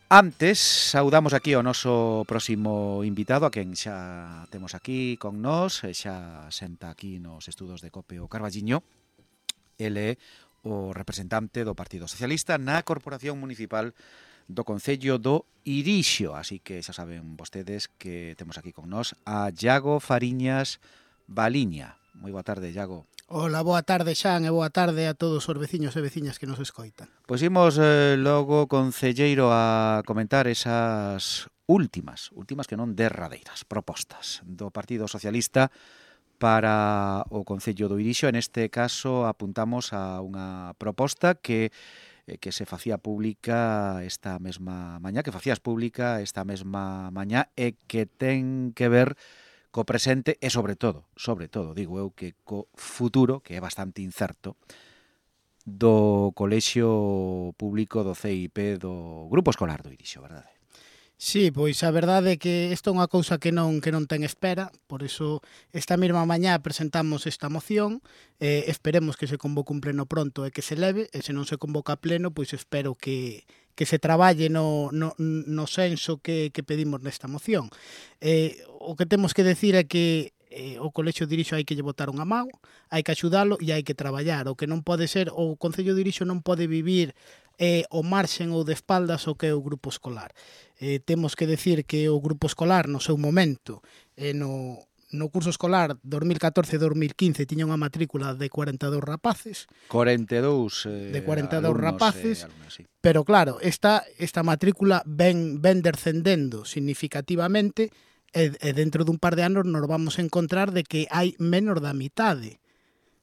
Antes, saudamos aquí ao noso próximo invitado, a quen xa temos aquí con nós, xa senta aquí nos estudos de COPE o Carballiño. Ele é o representante do Partido Socialista na Corporación Municipal do Concello do Irixo. Así que xa saben vostedes que temos aquí con nós a Iago Fariñas Baliña. Moi boa tarde, Iago. Hola, boa tarde, Xan, e boa tarde a todos os veciños e veciñas que nos escoitan. Pois imos logo, concelleiro, a comentar esas últimas que non derradeiras propostas do Partido Socialista para o Concello do Irixo. En este caso apuntamos a unha proposta que se facía pública esta mesma mañá, e que ten que ver co presente e sobre todo, digo eu, que co futuro, que é bastante incerto, do colexio público do CIP do Grupo Escolar do Irixo, verdade? Sí, pois a verdade é que isto é unha cousa que non ten espera, por iso esta mesma mañá presentamos esta moción, esperemos que se convoque un pleno pronto e que se leve, e se non se convoca a pleno, pois espero que se traballe no senso que pedimos nesta moción. O que temos que decir é que o colexio de Irixo hai que lle botar unha man, hai que axudalo e hai que traballar. O que non pode ser, o Concello de Irixo non pode vivir o marxen ou de espaldas o que é o grupo escolar. Temos que decir que o grupo escolar no seu momento, no curso escolar 2014-2015 tiña unha matrícula de 42 rapaces. 42 de 42 alumnos, rapaces, alumnos, sí. Pero claro, esta matrícula ven descendendo significativamente e dentro dun par de anos nos vamos a encontrar de que hai menos da mitade,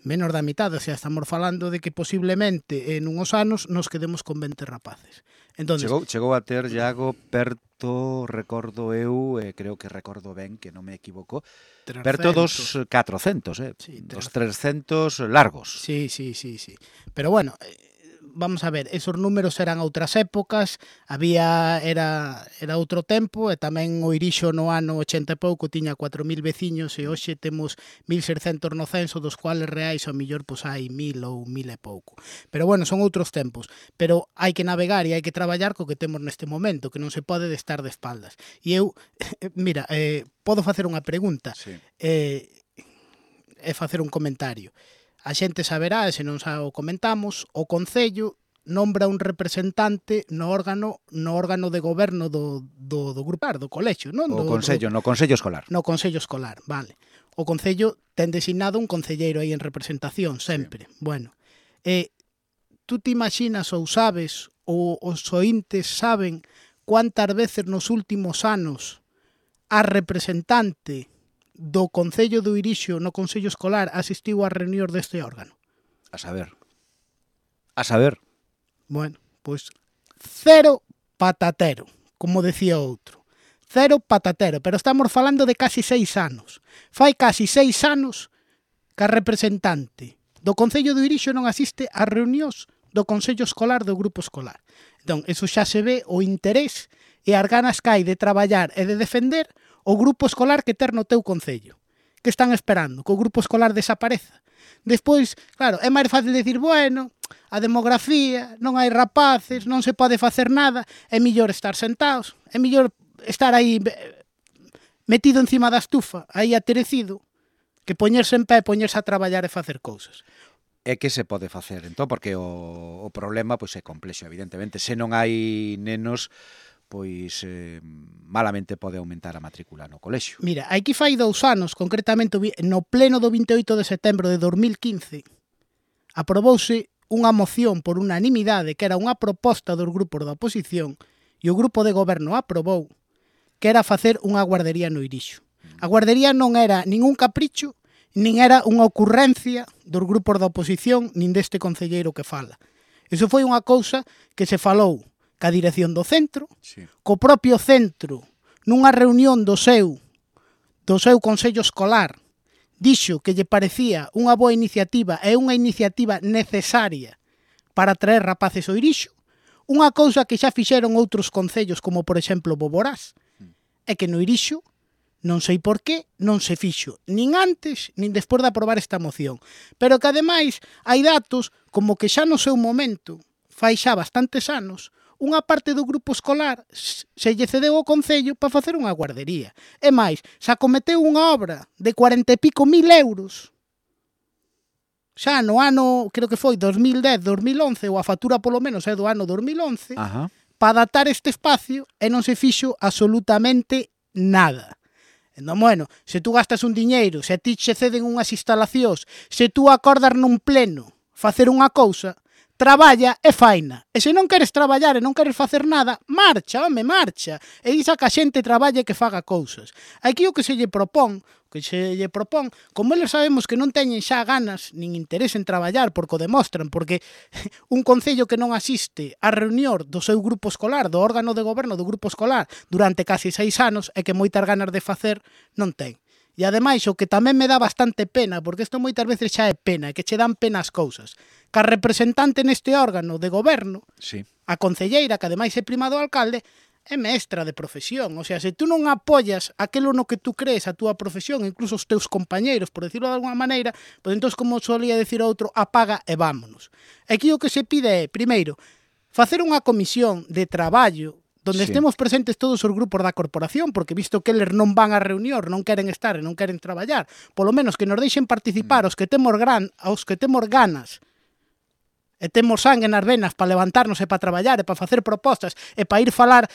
o sea, estamos falando de que posiblemente en uns anos nos quedemos con 20 rapaces. Entonces, chegou a ter, Iago, perto, recordo eu, creo que recordo ben, que non me equivoco, 300. perto dos 400, Sí, dos 300 largos. Sí. Pero bueno, vamos a ver, esos números eran outras épocas, era outro tempo, e tamén o Irixo no ano 80 e pouco tiña 4.000 veciños e hoxe temos 1.600 no censo, dos cuales reais ao millor pois hai 1.000 ou 1.000 e pouco. Pero bueno, son outros tempos, pero hai que navegar e hai que traballar co que temos neste momento, que non se pode estar de espaldas. E eu, mira, podo facer unha pregunta, Sí. E facer un comentario. A xente saberá, e se non xa o comentamos, o Concello nombra un representante no órgano de goberno do grupo, do colexio, non? No Consello Escolar. No Consello Escolar, vale. O Concello ten designado un concelleiro aí en representación, sempre. Sí. Bueno, tú te imaginas ou sabes, ou os ointes saben cuántas veces nos últimos anos a representante do Concello do Irixo no Consello Escolar asistiu a reunións deste órgano? A saber. Bueno, pois cero patatero, como decía outro. Cero patatero, pero estamos falando de casi 6 anos. Fai casi 6 anos que a representante do Concello do Irixo non asiste a reunións do Consello Escolar do Grupo Escolar. Entón, eso xa se ve o interés e as ganas que hai de traballar e de defender o grupo escolar que ter no teu concello. Que están esperando? Que o grupo escolar desapareza? Despois, claro, é máis fácil decir, bueno, a demografía, non hai rapaces, non se pode facer nada, é mellor estar sentados, é mellor estar aí metido encima da estufa, aí aterecido, que poñerse en pé, poñerse a traballar e facer cousas. É que se pode facer, entón, porque o problema pois é complexo, evidentemente. Se non hai nenos, pois malamente pode aumentar a matrícula no colexio. Mira, aquí fai 2 anos, concretamente no pleno do 28 de setembro de 2015, aprobouse unha moción por unanimidade que era unha proposta dos grupos da oposición e o grupo de goberno aprobou que era facer unha guardería no Irixo. A guardería non era ningún capricho, nin era unha ocurrencia dos grupos da oposición nin deste concelleiro que fala. Iso foi unha cousa que se falou ca dirección do centro, sí, co propio centro, nunha reunión do seu Consello Escolar, dixo que lle parecía unha boa iniciativa e unha iniciativa necesaria para traer rapaces ao Irixo, unha cousa que xa fixeron outros concellos, como por exemplo Boborás, é que no Irixo non sei por qué non se fixo, nin antes nin despois de aprobar esta moción, pero que ademais hai datos como que xa no seu momento, fai xa bastantes anos, unha parte do grupo escolar se lle cedeu ao Concello para facer unha guardería. E máis, se acometeu unha obra de 40 e pico mil euros, xa no ano, creo que foi 2010, 2011, ou a factura polo menos é do ano 2011, para datar este espacio e non se fixo absolutamente nada. Entón, bueno, se tú gastas un diñeiro, se a ti che ceden unhas instalacións, se tú acordas nun pleno facer unha cousa, traballa e faina. E se non queres traballar e non queres facer nada, marcha, home, marcha. E disa que a xente traballe e que faga cousas. Aquí o que se lle propón, como eles sabemos que non teñen xa ganas nin interés en traballar, porque o demostran, porque un concello que non asiste á reunión do seu grupo escolar, do órgano de goberno do grupo escolar, durante casi 6 anos, e que moitas ganas de facer non ten. E ademais, o que tamén me dá bastante pena, porque isto moitas veces xa é pena, que che dan pena as cousas, que a representante neste órgano de goberno, a concelleira, que ademais é prima do alcalde, é mestra de profesión. O sea, se tú non apoias aquilo no que tú crees, a túa profesión, incluso os teus compañeiros, por decirlo de alguna maneira, pois entón, como solía decir outro, apaga e vámonos. Aquí o que se pide é, primeiro, facer unha comisión de traballo donde estemos presentes todos os grupos da corporación, porque visto que eles non van a reunión, non queren estar e non queren traballar, polo menos que nos deixen participar os que temos ganas e temos sangue nas venas para levantarnos e para traballar e para facer propostas e para ir falar,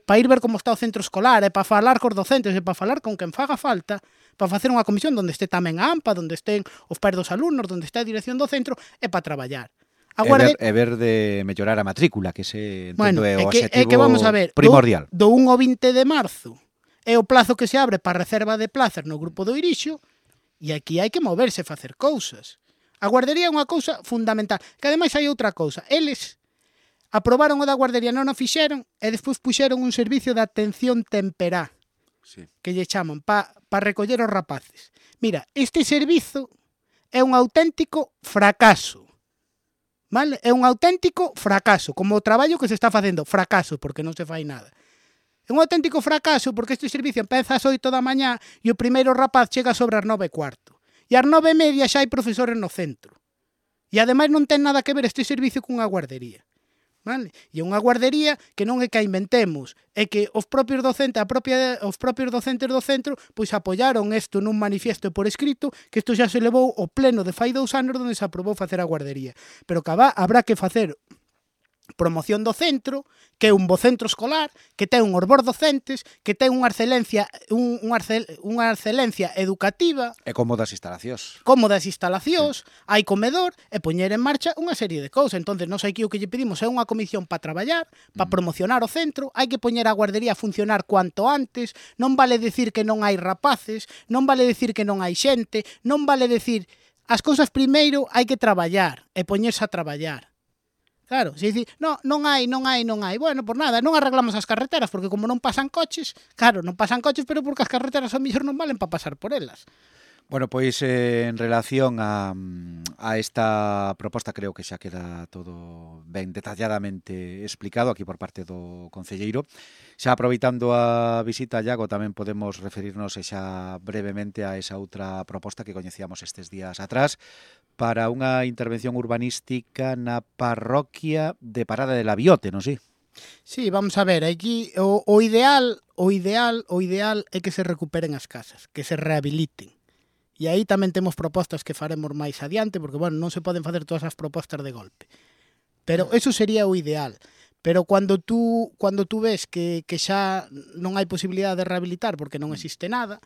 para ir ver como está o centro escolar e para falar cos docentes e para falar con quen faga falta, para facer unha comisión donde este tamén a AMPA, donde estén os pais dos alumnos, donde está a dirección do centro e para traballar. E ver de mellorar a matrícula, que se entendo é o objetivo que vamos a ver, primordial. Do 1 ao 20 de marzo é o plazo que se abre para reserva de plazas no grupo do Irixo e aquí hai que moverse e facer cousas. A guardería é unha cousa fundamental. Que ademais hai outra cousa. Eles aprobaron o da guardería, non o fixeron, e despois puxeron un servicio de atención temperá, que lle chaman, para recoller os rapaces. Mira, este servizo é un auténtico fracaso. Vale? É un auténtico fracaso. Como o traballo que se está facendo. Fracaso, porque non se fai nada. É un auténtico fracaso, porque este servicio empeza ás 8 da mañá e o primeiro rapaz chega sobre as 9:15. E ás 9:30 xa hai profesores no centro. E ademais non ten nada que ver este servicio cunha guardería. Vale? E unha guardería que non é que a inventemos, é que os propios docentes do centro pois apoiaron isto nun manifiesto por escrito, que isto xa se levou ao pleno de fai 2 anos onde se aprobou facer a guardería. Pero que habrá que facer promoción do centro, que é un bo centro escolar, que ten uns bons docentes, que ten unha excelencia educativa. E cómodas instalacións. Hai comedor e poñer en marcha unha serie de cousas. Entón, non sei que o que lle pedimos é unha comisión para traballar, para promocionar o centro, hai que poñer a guardería a funcionar cuanto antes, non vale decir que non hai rapaces, non vale decir que non hai xente, non vale decir as cousas primeiro hai que traballar e poñerse a traballar. Claro, se dicir, non hai. Bueno, por nada, non arreglamos as carreteras, porque como non pasan coches, pero porque as carreteras ao mellor non valen para pasar por elas. Bueno, pois en relación a esta proposta creo que xa queda todo ben detalladamente explicado aquí por parte do concelleiro. Xa aproveitando a visita a Iago tamén podemos referirnos xa brevemente a esa outra proposta que coñecíamos estes días atrás para unha intervención urbanística na parroquia de Parada de la Biote, non si? Sí, vamos a ver, aquí o ideal é que se recuperen as casas, que se rehabiliten. E aí tamén temos propostas que faremos máis adiante, porque, bueno, non se poden facer todas as propostas de golpe. Pero eso sería o ideal. Pero cando tú ves que xa non hai posibilidade de rehabilitar porque non existe nada,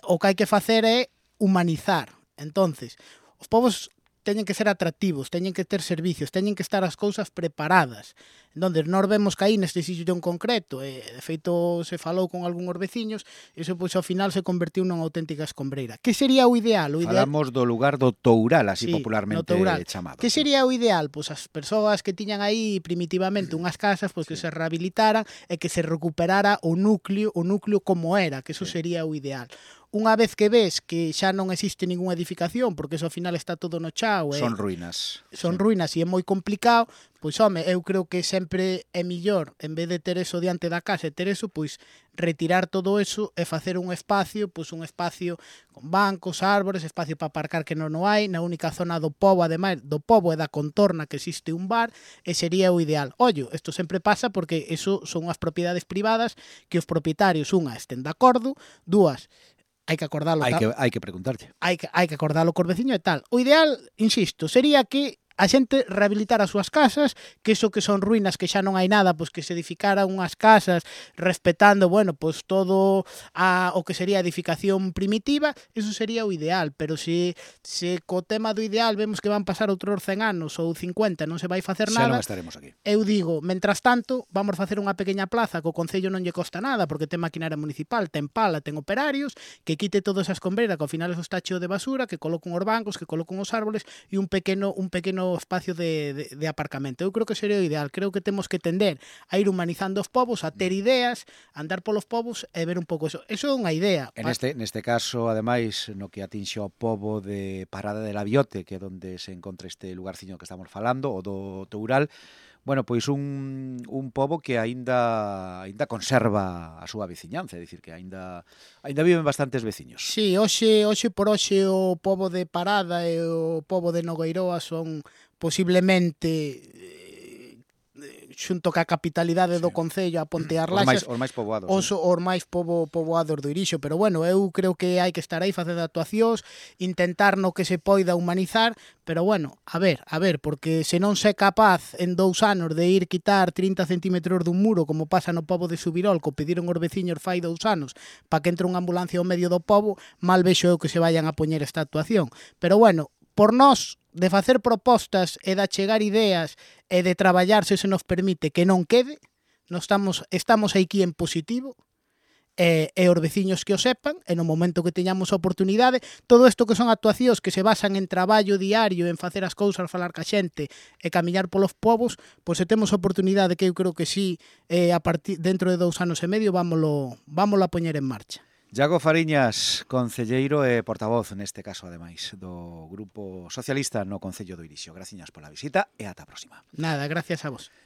o que hai que facer é humanizar. Entonces, os povos teñen que ser atractivos, teñen que ter servicios, teñen que estar as cousas preparadas. Entón, nós vemos que aí neste sitio en concreto, de feito se falou con algúns veciños, e iso pois ao final se convertiu nunha auténtica escombreira. Que sería o ideal? Falamos do lugar do Toural, así popularmente chamado. Que sería o ideal? Pois as persoas que tiñan aí primitivamente unhas casas, pois que se rehabilitaran e que se recuperara o núcleo como era, que eso sería o ideal. unha vez que ves que xa non existe ningunha edificación, porque eso ao final está todo no chao, Son ruínas. Son ruínas e é moi complicado, pois home, eu creo que sempre é millor, en vez de ter eso diante da casa e ter eso, pois retirar todo eso e facer un espacio con bancos, árbores, espacio para aparcar que non o hai, na única zona do pobo, ademais do pobo e da contorna que existe un bar, e sería o ideal. Ollo, isto sempre pasa porque eso son as propiedades privadas que os propietarios, unha, estén de acordo, dúas, hai que acordalo. Hai que preguntarte. Hai que acordalo cos veciños e tal. O ideal, insisto, sería que a xente rehabilitar as súas casas, que eso que son ruínas, que xa non hai nada, pois que se edificaran unhas casas respetando, bueno, pois todo o que sería a edificación primitiva, eso sería o ideal, pero se co tema do ideal vemos que van pasar outros 100 anos ou 50, non se vai facer nada. Xa non estaremos aquí. Eu digo, mentras tanto, vamos facer unha pequena plaza que o Concello non lle costa nada, porque ten maquinaria municipal, ten pala, ten operarios, que quite todas esas escombreras, que ao final eso está cheo de basura, que coloquen os bancos, que coloquen os árboles e un pequeno espacio de aparcamento. Eu creo que sería o ideal. Creo que temos que tender a ir humanizando os povos, a ter ideas, a andar polos povos e ver un pouco eso. Eso é unha idea. Neste caso, ademais, no que atinxe ao pobo de Parada de la Biote, que é onde se encontra este lugarciño que estamos falando, o do Toural, bueno, pois un pobo que aínda conserva a súa veciñanza, é dicir, que aínda viven bastantes veciños. Sí, hoxe por hoxe o pobo de Parada e o pobo de Nogueiroa son posiblemente xunto ca capitalidade do Concello, a Ponte Arlaxas, os máis poboados. Os máis poboados do Irixo, pero bueno, eu creo que hai que estar aí facendo actuacións, intentar no que se poida humanizar, pero bueno, a ver, porque se non se é capaz en 2 anos de ir quitar 30 centímetros dun muro, como pasa no pobo de Subirol, que pediron os veciños fai 2 anos, para que entre unha ambulancia ao medio do pobo, mal vexo eu que se vayan a poñer esta actuación. Pero bueno, por nós, de facer propostas e de achegar ideas e de traballar, se nos permite, que non quede, estamos aquí en positivo, e os veciños que o sepan, e no momento que teñamos a oportunidade, todo isto que son actuacións que se basan en traballo diario, en facer as cousas, falar ca xente e camiñar polos povos, pois se temos a oportunidade, que eu creo que sí, dentro de 2 anos e medio, vámolo a poñer en marcha. Iago Fariñas, concelleiro e portavoz, neste caso, ademais, do Grupo Socialista no Concello do Irixo. Graciñas pola visita e ata a próxima. Nada, gracias a vos.